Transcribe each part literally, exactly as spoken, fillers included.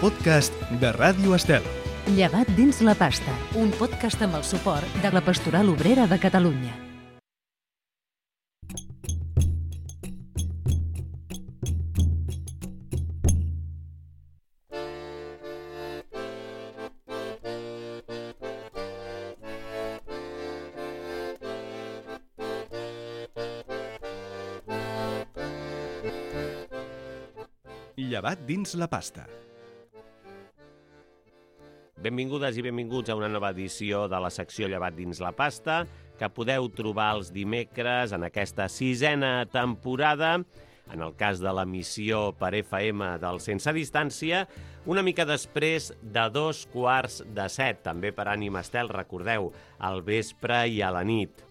podcast de Ràdio Estel. Llevat dins la pasta, un podcast amb el suport de la Pastoral Obrera de Catalunya. Llevat dins la pasta. Benvingudes i benvinguts a una nova edició de la secció Llevat dins la pasta, que podeu trobar els dimecres en aquesta sisena temporada, en el cas de l'emissió per F M del Sense Distància, una mica després de dos quarts de set, també per Ànima Estel, recordeu, al vespre i a la nit.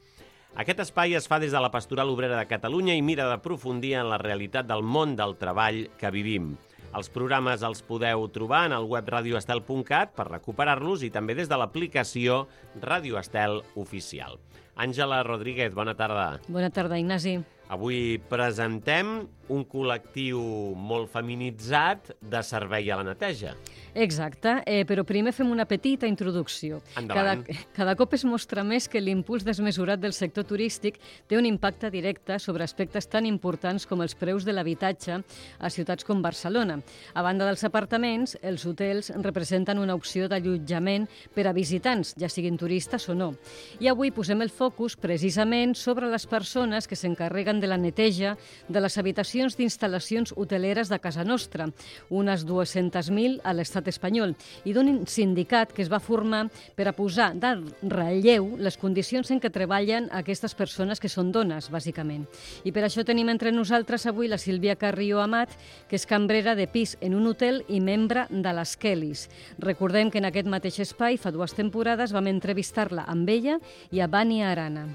Aquest espai es fa des de la Pastoral Obrera de Catalunya i mira d'aprofundir en la realitat del món del treball que vivim. Els programes els podeu trobar en el web radio estel punt cat per recuperar-los i també des de l'aplicació Ràdio Estel Oficial. Àngela Rodríguez, bona tarda. Bona tarda, Ignasi. Avui presentem un col·lectiu molt feminitzat de servei a la neteja. Exacte, eh, però primer fem una petita introducció. Endavant. Cada, cada cop es mostra més que l'impuls desmesurat del sector turístic té un impacte directe sobre aspectes tan importants com els preus de l'habitatge a ciutats com Barcelona. A banda dels apartaments, els hotels representen una opció d'allotjament per a visitants, ja siguin turistes o no. I avui posem el focus precisament sobre les persones que s'encarreguen de la neteja de les habitacions d'instal·lacions hoteleres de casa nostra, unes dues-centes mil a l'estat espanyol, i d'un sindicat que es va formar per a posar de relleu les condicions en què treballen aquestes persones que són dones, bàsicament. I per això tenim entre nosaltres avui la Sílvia Carrió Amat, que és cambrera de pis en un hotel i membre de les Kellys. Recordem que en aquest mateix espai, fa dues temporades, vam entrevistar-la amb ella i a Vania Arana.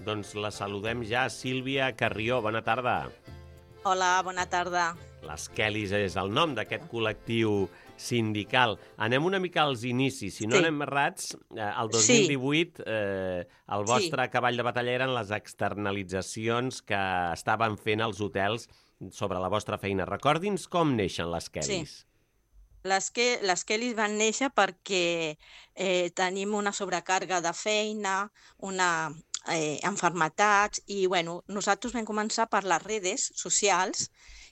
Doncs la saludem ja, Sílvia Carrió, bona tarda. Hola, bona tarda. Les Kellys és el nom d'aquest col·lectiu sindical. Anem una mica als inicis. Si no Sí. anem errats, eh, el dos mil divuit eh, el vostre Sí. cavall de batalla eren les externalitzacions que estaven fent els hotels sobre la vostra feina. Recordi'ns com neixen les Kellys. Les, que, les Kellys van néixer perquè eh, tenim una sobrecàrga de feina, una eh, enfermetats, i bueno, nosaltres vam començar per les redes socials,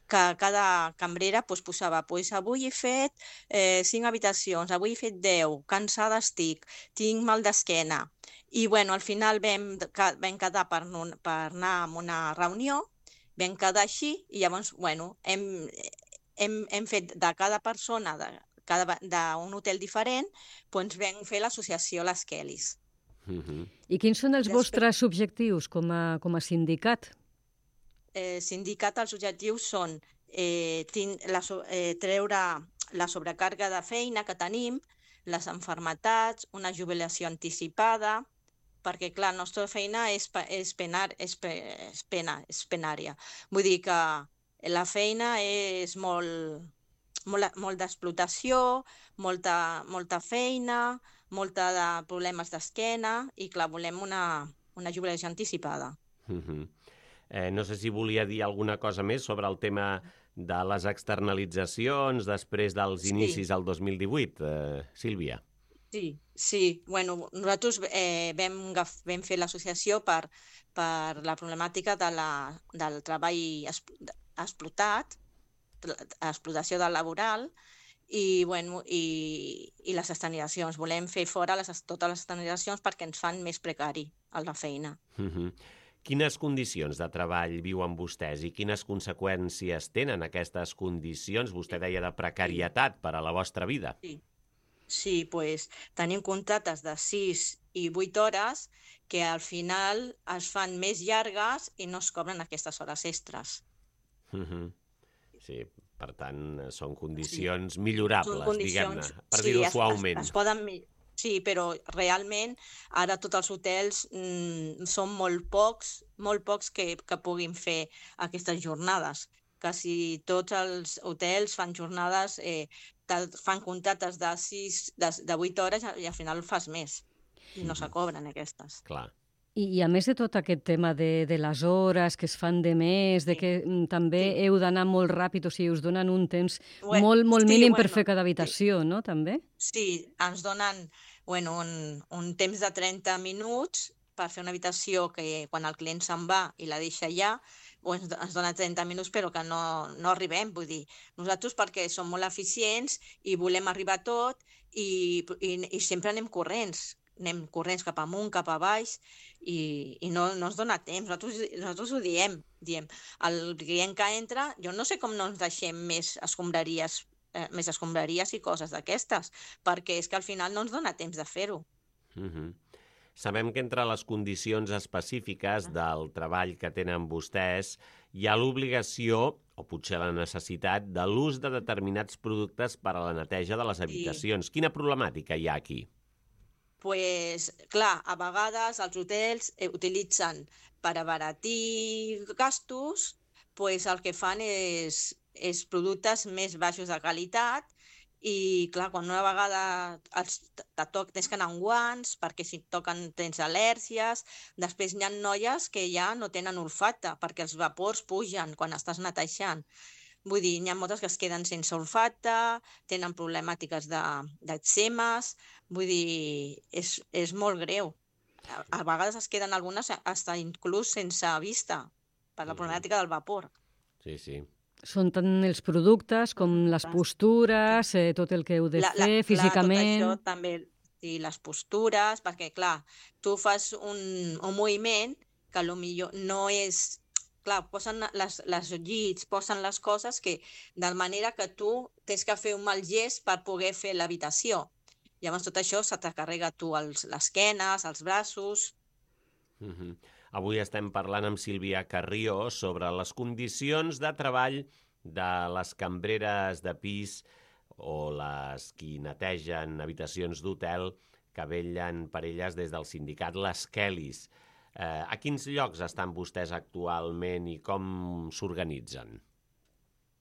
que cada cambrera pues, posava pues, avui he fet eh, cinc habitacions, avui he fet deu, cansada estic, tinc mal d'esquena. I bueno, al final vam, vam quedar per, per anar a una reunió, vam quedar així i llavors bueno, hem, hem, hem fet de cada persona de cada d'un hotel diferent, doncs vam fer l'associació Les Kellys. Uh-huh. I quins són els Després- vostres objectius com a, com a sindicat? Eh, sindicat, els objectius són eh, tin, la, so- eh, treure la sobrecàrrega de feina que tenim, les enfermetats, una jubilació anticipada, perquè, clar, la nostra feina és, pe- és, penar, és, pe, és, pena, és penària. Vull dir que la feina és molt, molt, molt d'explotació, molta, molta feina, molta de problemes d'esquena i, clar, volem una, una jubilació anticipada. Uh-huh. Eh, no sé si volia dir alguna cosa més sobre el tema de les externalitzacions després dels Sí. inicis del dos mil divuit, eh, Sílvia. Sí, sí. Bueno, nosaltres eh, vam, agaf- vam fer l'associació per, per la problemàtica de la, del treball exp- explotat, explotació del laboral, i, bueno, i, i les externalitzacions. Volem fer fora les, totes les externalitzacions perquè ens fan més precari a la feina. Uh-huh. Quines condicions de treball viuen vostès i quines conseqüències tenen aquestes condicions, vostè deia, de precarietat per a la vostra vida? Sí, sí, pues, tenim contractes de sis i vuit hores que al final es fan més llargues i no es cobren aquestes hores extres. Uh-huh. Sí, per tant, són condicions millorables, Són condicions- diguem-ne, per sí, dir-ho es- suaument. Es, es poden, mi- sí, però realment ara tots els hotels mm, són molt pocs, molt pocs que, que puguin fer aquestes jornades. Quasi tots els hotels fan jornades, eh, de, fan contractes de, sis, de, de vuit hores i al final fas més i no se cobren aquestes. Clar. I, I a més de tot aquest tema de, de les hores que es fan de més, de Sí, que mm, també sí. heu d'anar molt ràpid, o sigui, us donen un temps Bue- molt, molt sí, mínim per bueno, fer cada sí. habitació, no?, també? Sí, ens donen bueno, un, un temps de trenta minuts per fer una habitació que quan el client se'n va i la deixa allà, o ens, ens dona trenta minuts però que no, no arribem. Vull dir, nosaltres perquè som molt eficients i volem arribar a tot i, i, i sempre anem corrents. Anem corrents cap amunt, cap a baix i, i no, no ens dona temps. Nosaltres, nosaltres ho diem, diem. El client que entra, jo no sé com no ens deixem més escombraries eh, més escombraries i coses d'aquestes, perquè és que al final no ens dona temps de fer-ho. Mhm. Sabem que entre les condicions específiques del treball que tenen vostès hi ha l'obligació, o potser la necessitat, de l'ús de determinats productes per a la neteja de les habitacions. Quina problemàtica hi ha aquí? Pues, clar, a vegades els hotels eh, utilitzen per abaratir gastos, pues el que fan és, és productes més baixos de qualitat i, clar, quan una vegada els, te toc, tens que anar amb guants perquè si et toquen tens al·lèrgies. Després hi ha noies que ja no tenen olfacte perquè els vapors pugen quan estàs netejant. Vull dir, n'hi ha moltes que es queden sense olfacte, tenen problemàtiques d'eczemes, vull dir, és, és molt greu. A, a vegades es queden algunes hasta inclús sense vista per la problemàtica del vapor. Sí, sí. Són tant els productes com les postures, eh, tot el que heu de La, la, fer clar, físicament... tot això també, i les postures, perquè, clar, tu fas un, un moviment que potser no és... Clar, posen les, les llits, posen les coses que, de manera que tu tens que fer un mal gest per poder fer l'habitació. Llavors tot això se te carrega tu els, les esquenes, els braços... Uh-huh. Avui estem parlant amb Sílvia Carrió sobre les condicions de treball de les cambreres de pis o les qui netegen habitacions d'hotel que vetllen per elles des del sindicat Les Kellys. Eh, a quins llocs estan vostès actualment i com s'organitzen?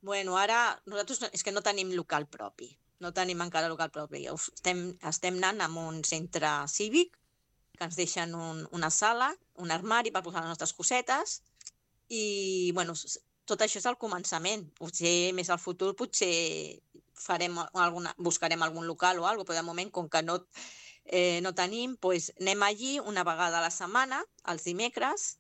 Bueno, ara nosaltres és que no tenim local propi, no tenim encara local propi. Estem, estem anant a un centre cívic que ens deixen un, una sala, un armari per posar les nostres cosetes i, bueno, tot això és el començament. Potser més al futur potser farem alguna, buscarem algun local o alguna cosa, però de moment, com que no, eh, no tenim, doncs anem allí una vegada a la setmana, els dimecres,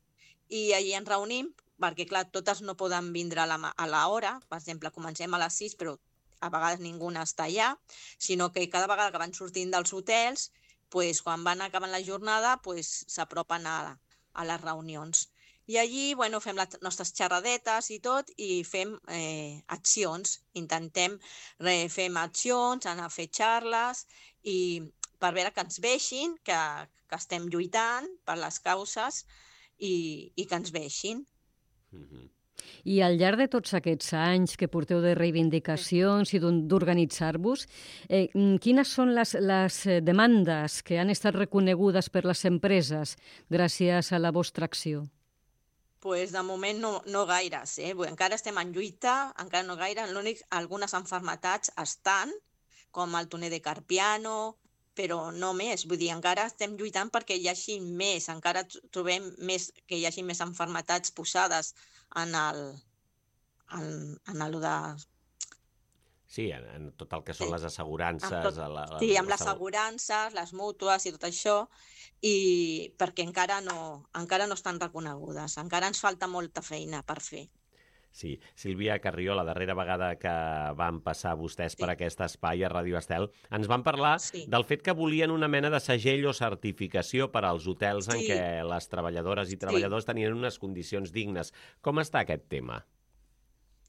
i allí ens reunim, perquè, clar, totes no poden vindre a la, a la hora. Per exemple, comencem a les sis, però a vegades ningú està allà, sinó que cada vegada que van sortint dels hotels, pues, quan van acabant la jornada, pues, s'apropen a, a les reunions. I allí, bueno, fem les nostres xerradetes i tot, i fem eh, accions. Intentem, eh, fem accions, anar a fer xarles, i per veure que ens veixin, que, que estem lluitant per les causes i, i que ens veixin. Uh-huh. I al llarg de tots aquests anys que porteu de reivindicacions i d'organitzar-vos, eh, quines són les, les demandes que han estat reconegudes per les empreses gràcies a la vostra acció? Pues de moment no, no gaires, eh? Encara estem en lluita, encara no gaire. L'únic, algunes malalties estan, com el túner de Carpiano, però no més. Vull dir, encara estem lluitant perquè hi hagi més, encara trobem més, que hi hagi més malalties posades en el, en, en el de... Sí, en, en tot el que són Sí. les assegurances... Amb tot- a la, la, Sí, amb la les assegu- assegurances, les mútues i tot això, i perquè encara no, encara no estan reconegudes, encara ens falta molta feina per fer. Sí, Sílvia Carrió, la darrera vegada que van passar vostès Sí. per aquest espai a Ràdio Estel, ens van parlar Sí. del fet que volien una mena de segell o certificació per als hotels en Sí. què les treballadores i treballadors tenien unes condicions dignes. Com està aquest tema?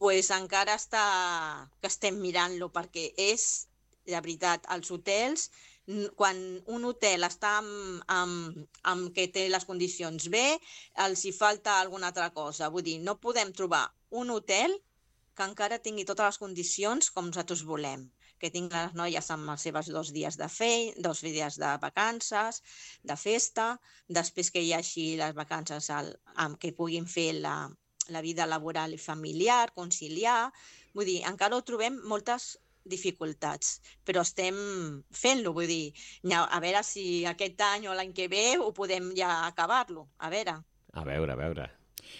Pues encara està que estem mirant-lo, perquè és, de veritat, els hotels, n- quan un hotel està amb, amb, amb que té les condicions bé, els hi falta alguna altra cosa. Vull dir, no podem trobar un hotel que encara tingui totes les condicions com nosaltres volem, que tinguin les noies amb els seus dos dies de feina, dos dies de vacances, de festa, després que hi hagi les vacances al, amb que puguin fer la, la vida laboral i familiar, conciliar. Vull dir, encara ho trobem moltes dificultats, però estem fent-lo, vull dir, a veure si aquest any o l'any que ve ho podem ja acabar-lo, a veure. A veure, a veure.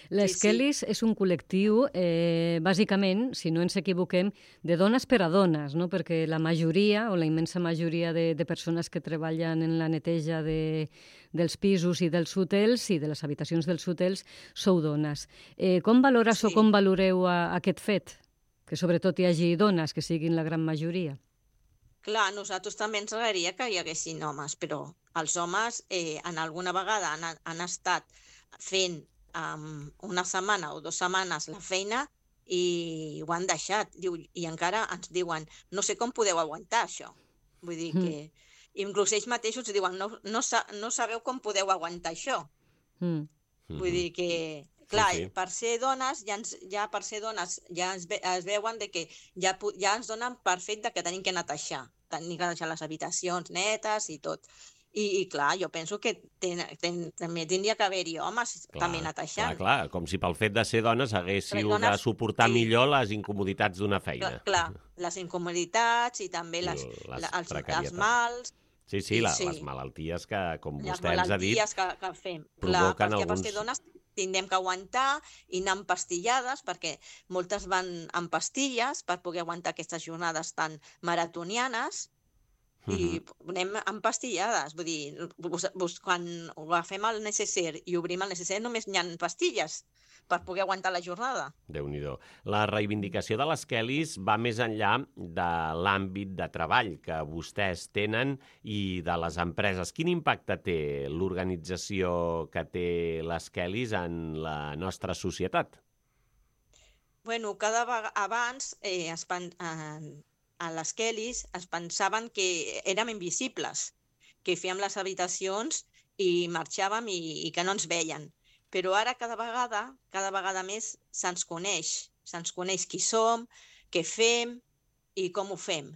Les Sí, sí. Kellys és un col·lectiu, eh, bàsicament, si no ens equivoquem, de dones per a dones, no? Perquè la majoria, o la immensa majoria de, de persones que treballen en la neteja de, dels pisos i dels hotels i de les habitacions dels hotels sou dones. Eh, com valores Sí. o com valoreu a, aquest fet? Que sobretot hi hagi dones, que siguin la gran majoria. Clar, a nosaltres també ens agradaria que hi haguessin homes, però els homes eh, en alguna vegada han, han estat fent um, una setmana o dues setmanes la feina i ho han deixat. Diu, i encara ens diuen, no sé com podeu aguantar això. Vull dir Mm. que inclús ells mateixos diuen, no, no, sa no sabeu com podeu aguantar això. Mm. Vull dir que, clar, Sí, sí. per ser dones, ja, ens, ja per ser dones, ja es, ve, es veuen de que ja, pu- ja ens donen per fet de que tenim que netejar, tenim que deixar les habitacions netes i tot. I, i clar, jo penso que ten, ten, també tindria que haver-hi homes Clar, també netejant. Clar, clar, com si pel fet de ser dones haguéssiu Les dones- de suportar sí. millor les incomoditats d'una Clar, feina. clar, les incomoditats i també I les, les la, els, precarietats. els mals, Sí, sí, la, Sí. les malalties que, com les vostè ens ha dit, malalties que, que fem. Clar, provoquen perquè per alguns- ser dones tindrem que aguantar i anar amb pastillades, perquè moltes van amb pastilles per poder aguantar aquestes jornades tan maratonianes, i anem amb pastillades. Vull dir, vos, vos, quan agafem el necesser i obrim el necesser només hi ha pastilles per poder aguantar la jornada. Déu-n'hi-do. La reivindicació de les Kellys va més enllà de l'àmbit de treball que vostès tenen i de les empreses. Quin impacte té l'organització que té les Kellys en la nostra societat? Bueno, cada vegada abans eh, es pen, eh, a les Kellys es pensaven que érem invisibles, que fèiem les habitacions i marxàvem i, i que no ens veien. Però ara cada vegada, cada vegada més se'ns coneix, se'ns coneix qui som, què fem i com ho fem.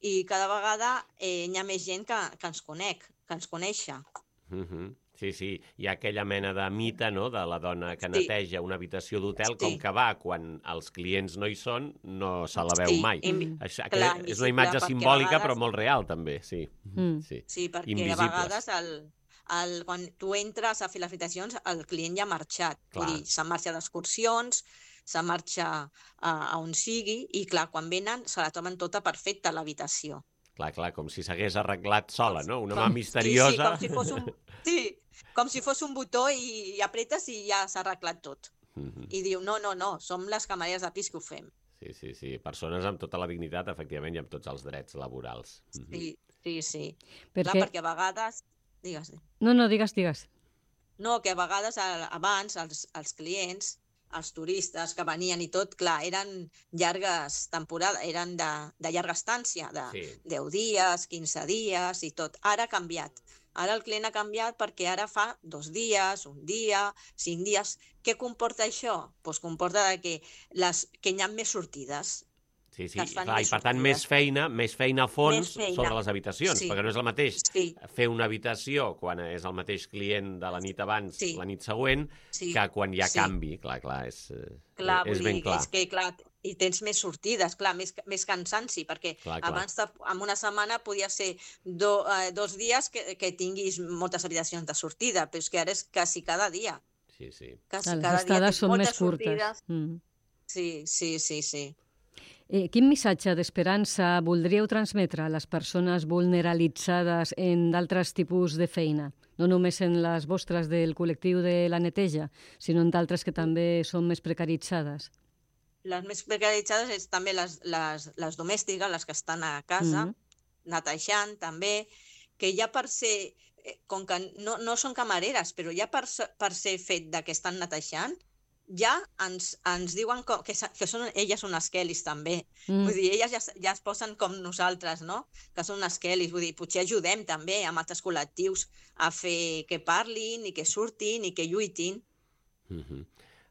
I cada vegada eh, hi ha més gent que, que ens conec, que ens coneixa. Uh -huh. Sí, sí, hi ha aquella mena de mite, no?, de la dona que Sí. neteja una habitació d'hotel, Sí. com que va quan els clients no hi són, no se la veu Sí, mai. invi- Això, clar, és una invisible, imatge perquè a simbòlica, vegades- però molt real, també, sí. Mm. sí. Sí, perquè Invisibles. a vegades el, el, quan tu entres a fer les habitacions, el client ja ha marxat. Clar. Vull dir, se'n marxa d'excursions, se'n marxa a, a on sigui, i clar, quan venen se la troben tota perfecta, l'habitació. Clar, clar, com si s'hagués arreglat sola, no? Una mà Com- misteriosa. Sí, sí, com si fos un, sí, com si fos un botó i, i apretes i ja s'ha arreglat tot. Mhm. I diu, no, no, no, som les camareres de pis que ho fem. Sí, sí, sí. Persones amb tota la dignitat, efectivament, i amb tots els drets laborals. Mhm. Sí, sí, sí. Perquè... Clar, perquè a vegades... Digues. No, no, digues, digues. No, que a vegades a- abans els, els clients, els turistes que venien i tot, clar, eren llargues temporades, eren de, de llarga estància, de Sí. deu dies, quinze dies i tot. Ara ha canviat. Ara el client ha canviat perquè ara fa dos dies, un dia, cinc dies. Què comporta això? Doncs comporta de que, les, que hi ha més sortides. Sí, sí, que es fan clar, i més per tant, sortides. més feina, més feina a fons Més feina. sobre les habitacions, Sí. perquè no és el mateix Sí, fer una habitació quan és el mateix client de la nit abans, Sí. la nit següent, sí. que quan hi ha Sí. canvi. Clar, clar, és, eh, Clar, és vull ben dir, clar. és que, clar, i tens més sortides, clar, més, més cansanci, perquè Clar, clar. abans, de, en una setmana podia ser do, eh, dos dies que, que tinguis moltes habitacions de sortida, però és que ara és quasi cada dia. Sí, sí. Quasi Clar, les cada dia estades tens són moltes més curtes. sortides. Mm. Sí, sí, sí, sí. Eh, quin missatge d'esperança voldríeu transmetre a les persones vulneralitzades en d'altres tipus de feina? No només en les vostres del col·lectiu de la neteja, sinó en d'altres que també són més precaritzades. Les més precaritzades és també les, les, les domèstiques, les que estan a casa, Mhm. netejant també, que ja per ser, eh, com que no, no són camareres, però ja per, se- per ser fet de que estan netejant, ja ens, ens diuen com, que, sa- que són, elles són unes Kellys també. Mm. Vull dir, elles ja, s- ja es posen com nosaltres, no? Que són unes Kellys. Vull dir, potser ajudem també amb altres col·lectius a fer que parlin i que surtin i que lluitin. Mhm.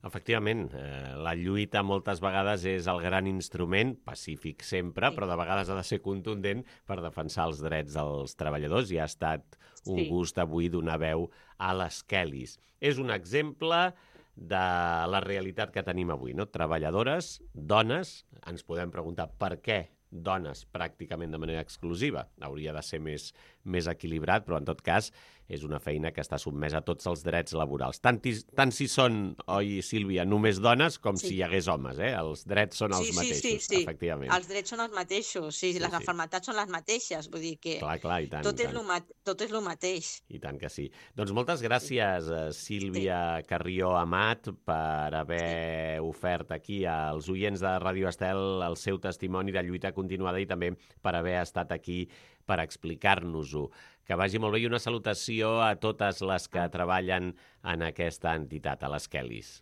Efectivament, eh, la lluita moltes vegades és el gran instrument, pacífic sempre, Sí. però de vegades ha de ser contundent per defensar els drets dels treballadors, i ha estat un Sí. gust avui donar veu a les Kellys. És un exemple de la realitat que tenim avui, no? Treballadores, dones, ens podem preguntar per què dones pràcticament de manera exclusiva. Hauria de ser més, més equilibrat, però en tot cas és una feina que està sotmesa a tots els drets laborals. Tant, tant si són, oi, Sílvia, només dones com sí. si hi hagués homes, eh? Els drets són els sí, sí, mateixos, sí, sí. efectivament. Els drets són els mateixos, sí, sí les sí. maternitats són les mateixes, vull dir que clar, clar, i tant, tot, i és tant. Lo mat tot és el mateix. I tant que sí. Doncs moltes gràcies, sí. Sílvia sí. Carrió Amat, per haver sí. ofert aquí als oients de Ràdio Estel el seu testimoni de lluita continuada i també per haver estat aquí per explicar-nos-ho. Que vagi molt bé i una salutació a totes les que treballen en aquesta entitat, a les Kellys.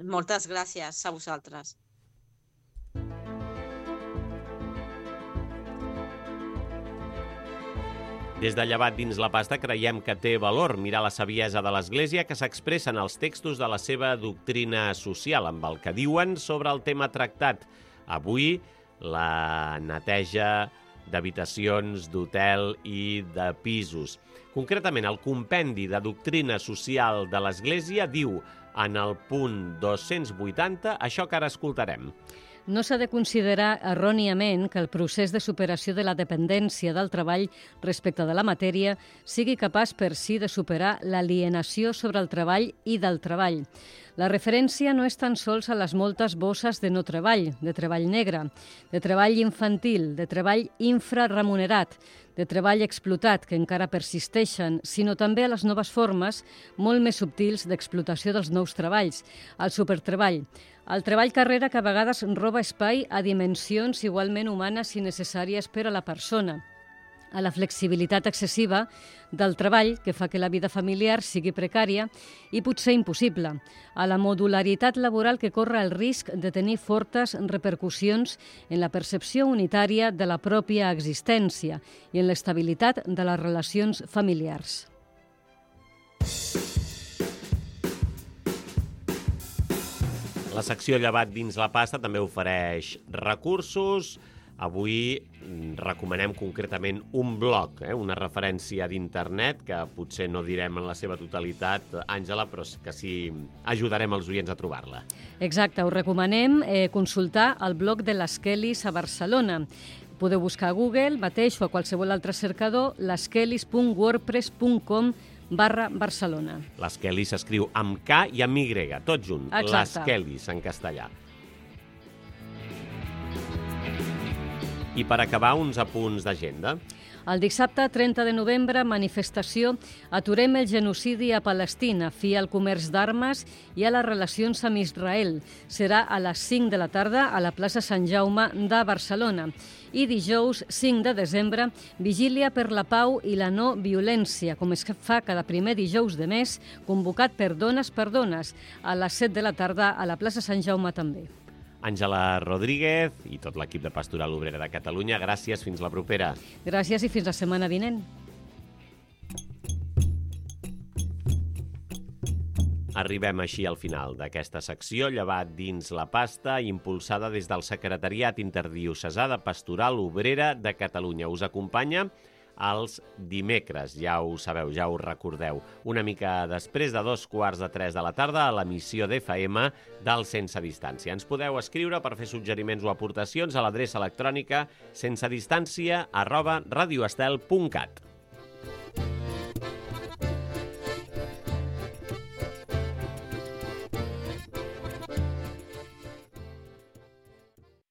Moltes gràcies a vosaltres. Des de Llevat dins la pasta creiem que té valor mirar la saviesa de l'Església que s'expressa en els textos de la seva doctrina social, amb el que diuen sobre el tema tractat. Avui, la neteja d'habitacions, d'hotel i de pisos. Concretament, el compendi de doctrina social de l'Església diu en el punt dos-cents vuitanta això que ara escoltarem. No s'ha de considerar erròniament que el procés de superació de la dependència del treball respecte de la matèria sigui capaç per si de superar l'alienació sobre el treball i del treball. La referència no és tan sols a les moltes bosses de no treball, de treball negre, de treball infantil, de treball infraremunerat, de treball explotat, que encara persisteixen, sinó també a les noves formes, molt més subtils, d'explotació dels nous treballs, el supertreball, el treball carrera que a vegades roba espai a dimensions igualment humanes i necessàries per a la persona, a la flexibilitat excessiva del treball que fa que la vida familiar sigui precària i potser impossible, a la modularitat laboral que corre el risc de tenir fortes repercussions en la percepció unitària de la pròpia existència i en l'estabilitat de les relacions familiars. La secció Llevat dins la pasta també ofereix recursos. Avui recomanem concretament un blog, eh? una referència d'internet, que potser no direm en la seva totalitat, Àngela, però que sí ajudarem els oients a trobar-la. Exacte, us recomanem eh, consultar el blog de les Kellys a Barcelona. Podeu buscar a Google mateix o a qualsevol altre cercador lesquellys punt wordpress punt com barra Barcelona. Les Kellys s'escriu amb K i amb Y, tot junt. Exacte. Les Kellys, en castellà. I per acabar, uns apunts d'agenda. El dissabte trenta de novembre, manifestació Aturem el genocidi a Palestina, fi al comerç d'armes i a les relacions amb Israel. Serà a les cinc de la tarda a la plaça Sant Jaume de Barcelona. I dijous cinc de desembre, vigília per la pau i la no violència, com es fa cada primer dijous de mes, convocat per Dones per Dones, a les set de la tarda a la plaça Sant Jaume també. Àngela Rodríguez i tot l'equip de Pastoral Obrera de Catalunya, gràcies, fins la propera. Gràcies i fins la setmana vinent. Arribem així al final d'aquesta secció, Llevat dins la pasta, impulsada des del Secretariat Interdiocesà de Pastoral Obrera de Catalunya. Us acompanya els dimecres, ja ho sabeu, ja ho recordeu, una mica després de dos quarts de tres de la tarda a l'emissió d'F M del Sense Distància. Ens podeu escriure per fer suggeriments o aportacions a l'adreça electrònica sensedistància arroba radioestel punt cat.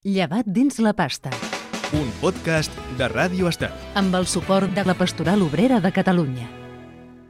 Llevat dins la pasta. Un podcast de Ràdio Estel. Amb el suport de la Pastoral Obrera de Catalunya.